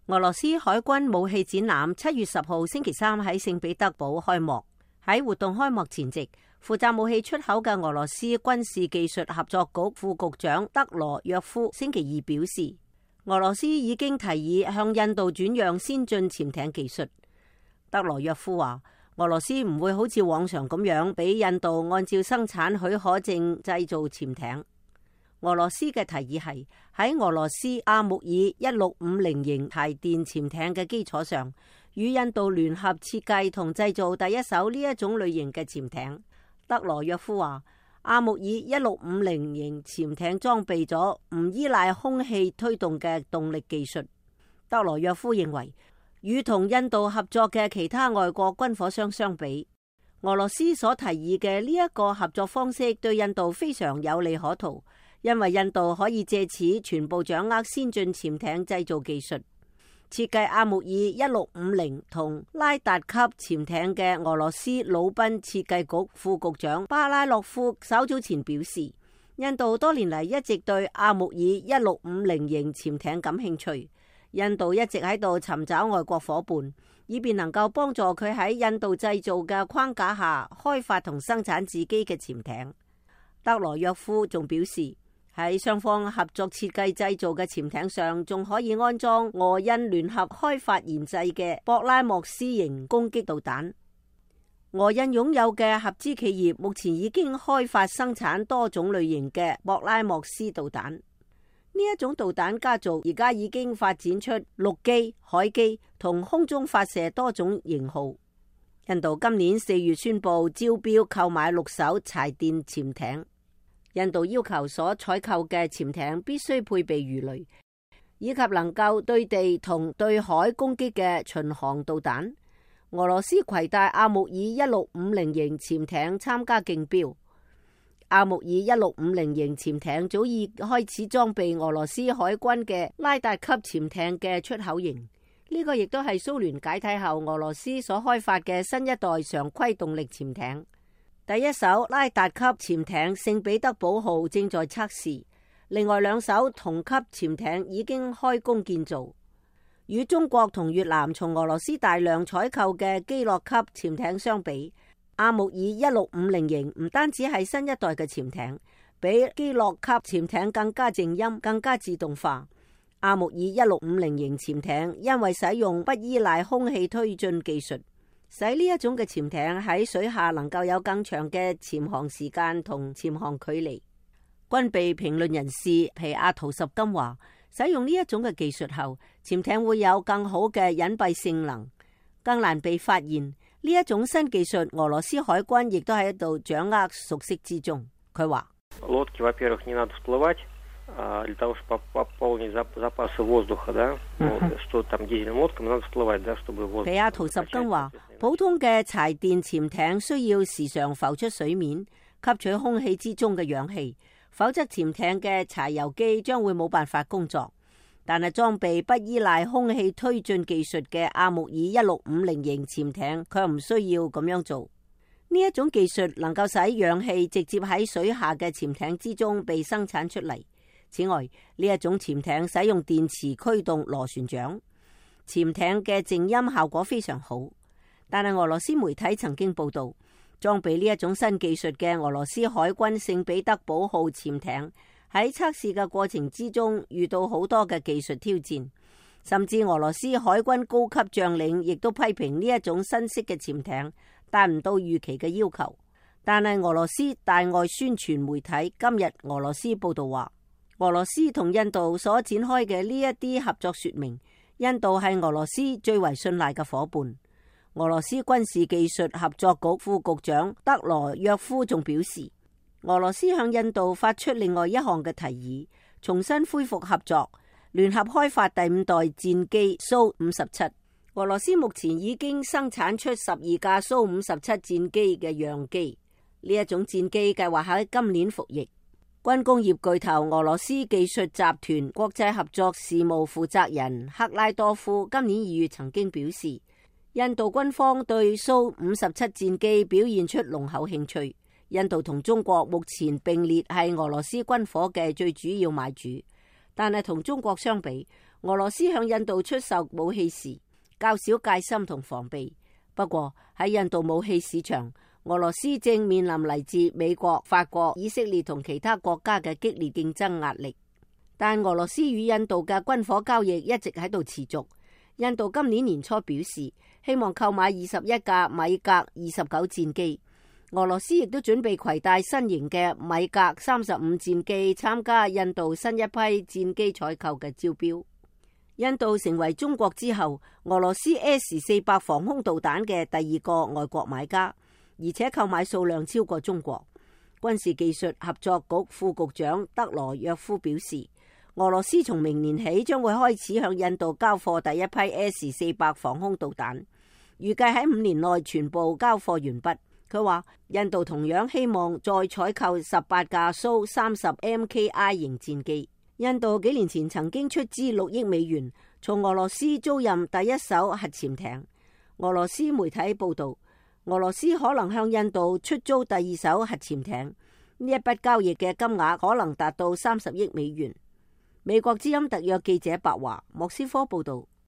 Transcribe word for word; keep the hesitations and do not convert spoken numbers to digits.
俄羅斯海軍武器展覽七月十號星期三喺聖彼得堡開幕。喺活動開幕前夕，負責武器出口嘅俄羅斯軍事技術合作局副局長德羅約夫星期二表示，俄羅斯已經提議向印度轉讓先進潛艇技術。德羅約夫話，俄羅斯唔會好似往常咁樣俾印度按照生產許可證製造潛艇。俄羅斯嘅提議係喺俄羅斯阿穆爾一六五零型柴電潛艇嘅基礎上，與印度聯合設計同製造第一艘呢一種類型嘅潛艇。德羅約夫話，阿穆爾一六五零型潛艇裝備咗唔依賴空氣推動嘅動力技術。德羅約夫認為，與同印度合作嘅其他外國軍火商相比，俄羅斯所提議嘅呢一個合作方式對印度非常有利可圖。因為印度可以借此全部掌握先進潛艇製造技術。設計阿穆爾一六五零同拉達級潛艇嘅俄羅斯魯賓設計局副局長巴拉洛夫稍早前表示，印度多年嚟一直對阿穆爾一六五零型潛艇感興趣。印度一直喺度尋找外國夥伴，以便能夠幫助佢喺印度製造嘅框架下開發同生產自己嘅潛艇。德羅約夫仲表示，喺雙方合作設計製造嘅潛艇上，仲可以安裝俄印聯合開發研製嘅博拉莫斯型攻擊導彈。俄印擁有嘅合資企業目前已經開發生產多種類型嘅博拉莫斯導彈。呢一種導彈家族而家已經發展出陸基、海基同空中發射多種型號。印度今年四月宣布招標購買六艘柴電潛艇。印度要求所採購嘅潛艇必須配備魚雷，以及能夠對地同對海攻擊嘅巡航導彈。俄羅斯攜帶阿穆爾一六五零型潛艇參加競標。阿穆爾一六五零型潛艇早已開始裝備俄羅斯海軍嘅拉達級潛艇嘅出口型。呢個亦都係蘇聯解體後俄羅斯所開發嘅新一代常規動力潛艇。第一艘拉達級潛艇聖彼得堡號正在測試，另外兩艘同級潛艇已經開工建造。與中國同越南從俄羅斯大量採購嘅基洛級潛艇相比，阿穆爾一六五零型唔單止係新一代嘅潛艇，比基洛級潛艇更加靜音、更加自動化。阿穆爾一六五零型潛艇因為使用不依賴空氣推進技術，使呢一種嘅潛艇喺水下能夠有更長嘅潛航時間同潛航距離。軍備評論人士皮亞圖什金話，使用呢一種嘅技術後，潛艇會有更好嘅隱蔽性能，更難被發現。呢一種新技術，俄羅斯海軍亦都喺度掌握熟悉之中。佢話，для того, чтобы пополнить запасы воздуха, да, что там дизельным лодкам надо всплывать, да, чтобы воздух. 皮亞圖什金話，普通嘅柴電潛艇需要時常浮出水面，吸取空氣之中嘅氧氣，否則潛艇嘅柴油機將會冇辦法工作。但係裝備不依賴空氣推進技術嘅阿穆爾一六五零型潛艇，佢唔需要咁樣做。呢一種技術能夠使氧氣直接喺水下嘅潛艇之中被生產出嚟。此外，呢一種潛艇使用電磁驅動螺旋槳，潛艇嘅靜音效果非常好。但係俄羅斯媒體曾經報道，裝備呢一種新技術嘅俄羅斯海軍聖彼得堡號潛艇喺測試嘅過程之中遇到好多嘅技術挑戰，甚至俄羅斯海軍高級將領亦都批評呢一種新式嘅潛艇達唔到預期嘅要求。但係俄羅斯大外宣傳媒體今日俄羅斯報道話，俄羅斯同印度所展開嘅呢一啲合作說明，印度係俄羅斯最為信賴嘅夥伴。俄羅斯軍事技術合作局副局長德羅約夫仲表示，俄羅斯向印度發出另外一項嘅提議，重新恢復合作，聯合開發第五代戰機蘇五十七。俄羅斯目前已經生產出十二架蘇五十七戰機嘅樣機，呢一種戰機計劃喺今年服役。軍工業巨頭俄羅斯技術集團國際合作事務負責人克拉多夫今年二月曾經表示，印度軍方對蘇五十七戰機表現出濃厚興趣。印度同中國目前並列係俄羅斯軍火嘅最主要買主，但係同中國相比，俄羅斯向印度出售武器時較少戒心同防備。不過喺印度武器市場，俄羅斯正面臨嚟自美國、法國、以色列同其他國家嘅激烈競爭壓力。但俄羅斯與印度嘅軍火交易一直喺度持續。印度今年年初表示希望購買二十一架米格二十九戰機。俄羅斯亦都準備攜帶新型嘅米格三十五戰機參加印度新一批戰機採購嘅招標。印度成為中國之後俄羅斯 S 四百防空導彈嘅第二個外國買家，而且購買數量超過中國。軍事技術合作局副局長德羅約夫表示，俄羅斯從明年起將會開始向印度交貨第一批 S 四百防空導彈，預計喺五年內全部交貨完畢。佢話印度同樣希望再採購十八架蘇三十 M K I 型戰機。印度幾年前曾經出資六億美元從俄羅斯租賃第一艘核潛艇。俄羅斯媒體報道，俄羅斯可能向印度出租第二艘核潛艇，呢一筆交易嘅金額可能達到三十億美元。美國之音特約記者白華莫斯科報道。